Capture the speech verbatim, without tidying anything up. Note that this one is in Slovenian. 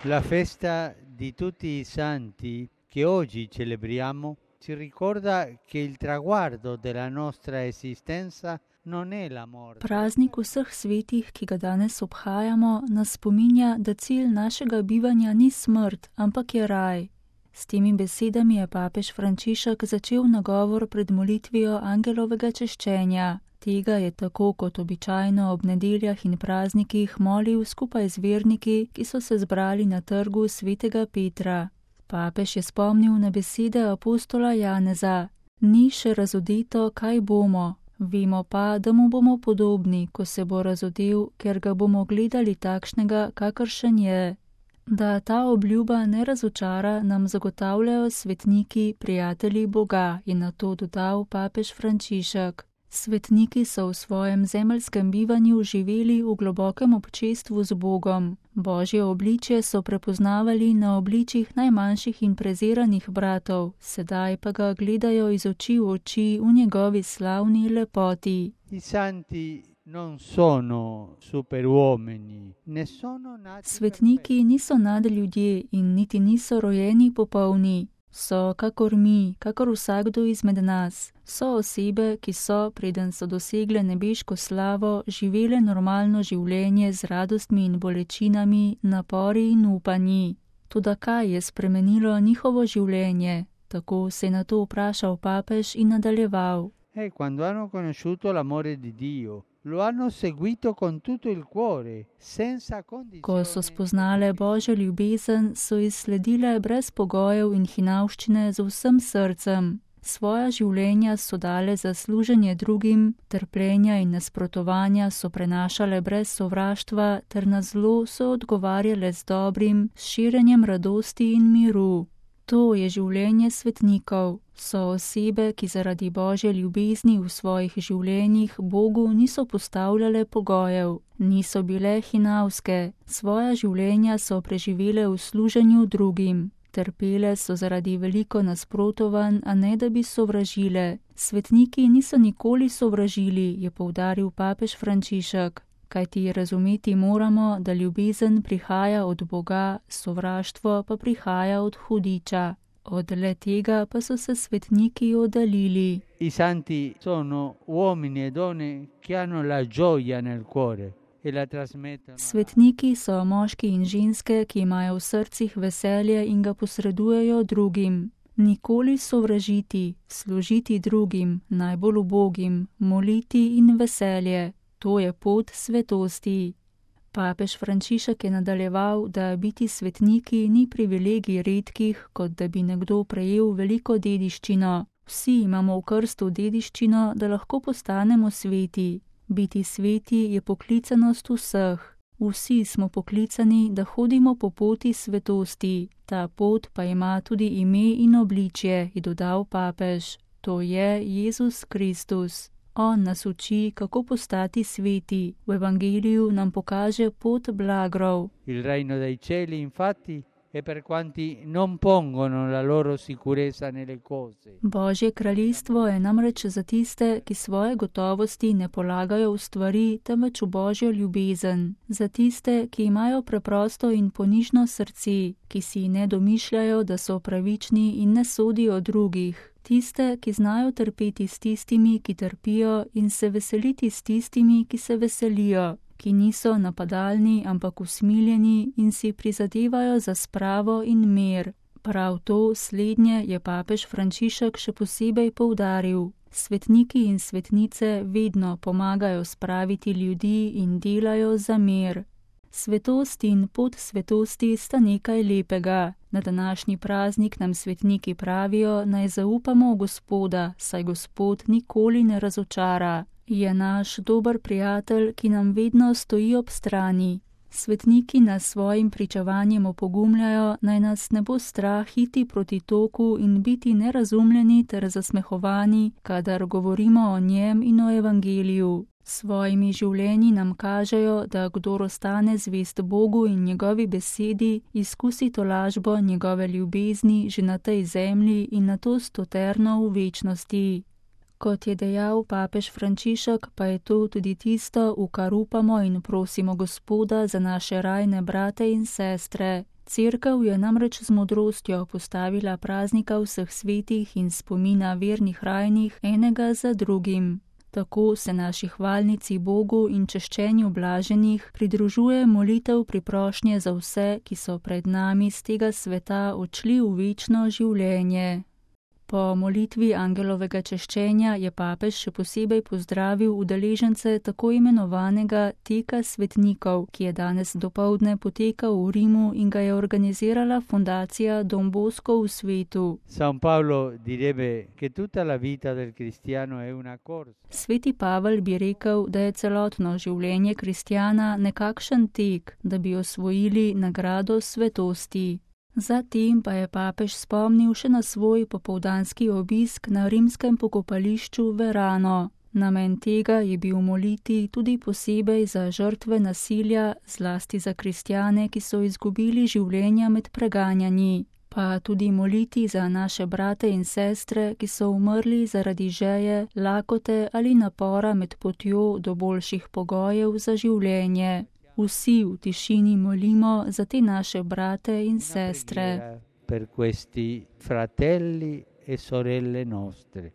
La festa di tutti i santi che oggi celebriamo ci ricorda che il traguardo della nostra esistenza non è la morte. Praznik vseh svetih, ki ga danes obhajamo, nas spominja, da cilj našega bivanja ni smrt, ampak je raj. S temi besedami je papež Frančišek začel nagovor pred molitvijo angelovega češčenja. Tega je tako kot običajno ob nedeljah in praznikih molil skupaj z verniki, ki so se zbrali na trgu svetega Petra. Papež je spomnil na besede apostola Janeza: Ni še razodeto, kaj bomo. Vemo pa, da mu bomo podobni, ko se bo razodel, ker ga bomo gledali takšnega, kakršen je. Da ta obljuba ne razočara, nam zagotavljajo svetniki, prijatelji Boga, je na to dodal papež Frančišek. Svetniki so v svojem zemeljskem bivanju živeli v globokem občestvu z Bogom. Božje obličje so prepoznavali na obličjih najmanjših in preziranih bratov, sedaj pa ga gledajo iz oči v oči v njegovi slavni lepoti. I santi non sono superuomini, ne sono nati Svetniki niso nadljudje in niti niso rojeni popolni. So kakor mi, kakor vsakdo izmed nas. So osebe, ki so, preden so dosegle nebeško slavo, živele normalno življenje z radostmi in bolečinami, napori in upanji. Toda kaj je spremenilo njihovo življenje? Tako se je na to vprašal papež in nadaljeval. E quando hanno conosciuto l'amore di Dio, lo hanno seguito con tutto il cuore, senza condizioni. Ko so spoznale Božjo ljubezen, so izsledile brez pogojev in hinavščine z vsem srcem. Svoja življenja so dale za služenje drugim, trpljenja in nasprotovanja so prenašale brez sovraštva, ter na zlo so odgovarjale z dobrim, s širjenjem radosti in miru. To je življenje svetnikov. So osebe, ki zaradi Božje ljubezni v svojih življenjih Bogu niso postavljale pogojev, niso bile hinavske, svoja življenja so preživele v služenju drugim. Trpele so zaradi veliko nasprotovanj, a ne da bi sovražile. Svetniki niso nikoli sovražili, je poudaril papež Frančišek. Kajti razumeti moramo, da ljubezen prihaja od Boga, sovraštvo pa prihaja od hudiča. Od le tega pa so se svetniki oddaljili. I santi sono uomini e donne che hanno la gioia nel cuore e la trasmettono. Svetniki so moški in ženske, ki imajo v srcih veselje in ga posredujejo drugim. Nikoli sovražiti, služiti drugim, najbolj ubogim, moliti in veselje. To je pot svetosti. Papež Frančišek je nadaljeval, da biti svetniki ni privilegij redkih, kot da bi nekdo prejel veliko dediščino. Vsi imamo v krstu dediščino, da lahko postanemo sveti. Biti sveti je poklicanost vseh. Vsi smo poklicani, da hodimo po poti svetosti. Ta pot pa ima tudi ime in obličje, je dodal papež. To je Jezus Kristus. On nas uči, kako postati sveti. V evangeliju nam pokaže pot blagrov. Il reino dei cieli, infatti, è per quanti non pongono la loro sicurezza nelle cose. Božje kraljestvo je namreč za tiste, ki svoje gotovosti ne polagajo v stvari, temveč v Božjo ljubezen. Za tiste, ki imajo preprosto in ponižno srce, ki si ne domišljajo, da so pravični in ne sodijo drugih. Tiste, ki znajo trpeti s tistimi, ki trpijo, in se veseliti s tistimi, ki se veselijo, ki niso napadalni, ampak usmiljeni in si prizadevajo za spravo in mir. Prav to slednje je papež Frančišek še posebej poudaril. Svetniki in svetnice vedno pomagajo spraviti ljudi in delajo za mir. Svetost in pot svetosti sta nekaj lepega. Na današnji praznik nam svetniki pravijo, naj zaupamo v Gospoda, saj Gospod nikoli ne razočara. Je naš dober prijatelj, ki nam vedno stoji ob strani. Svetniki nas svojim pričevanjem opogumljajo, naj nas ne bo strah iti proti toku in biti nerazumljeni ter zasmehovani, kadar govorimo o njem in o evangeliju. Svojimi življenji nam kažejo, da kdor ostane zvest Bogu in njegovi besedi, izkusi tolažbo njegove ljubezni že na tej zemlji in na to stoterno v večnosti. Kot je dejal papež Frančišek, pa je to tudi tisto, v kar upamo in prosimo Gospoda za naše rajne brate in sestre. Cerkev je namreč z modrostjo postavila praznika vseh svetih in spomina vernih rajnih enega za drugim. Tako se naši hvalnici Bogu in češčenju blaženih pridružuje molitev priprošnje za vse, ki so pred nami z tega sveta odšli v večno življenje. Po molitvi angelovega češčenja je papež še posebej pozdravil udeležence tako imenovanega teka svetnikov, ki je danes dopoldne potekal v Rimu in ga je organizirala fundacija Don Bosco v svetu. San Paolo direbbe che tutta la vita del cristiano è una corsa. Sveti Pavel bi rekel, da je celotno življenje kristjana nekakšen tek, da bi osvojili nagrado svetosti. Zatem pa je papež spomnil še na svoj popoldanski obisk na rimskem pokopališču Verano. Namen tega je bil moliti tudi posebej za žrtve nasilja, zlasti za kristjane, ki so izgubili življenja med preganjanji, pa tudi moliti za naše brate in sestre, ki so umrli zaradi žeje, lakote ali napora med potjo do boljših pogojev za življenje. Vsi v tišini molimo za te naše brate in sestre. Per questi fratelli e sorelle nostre.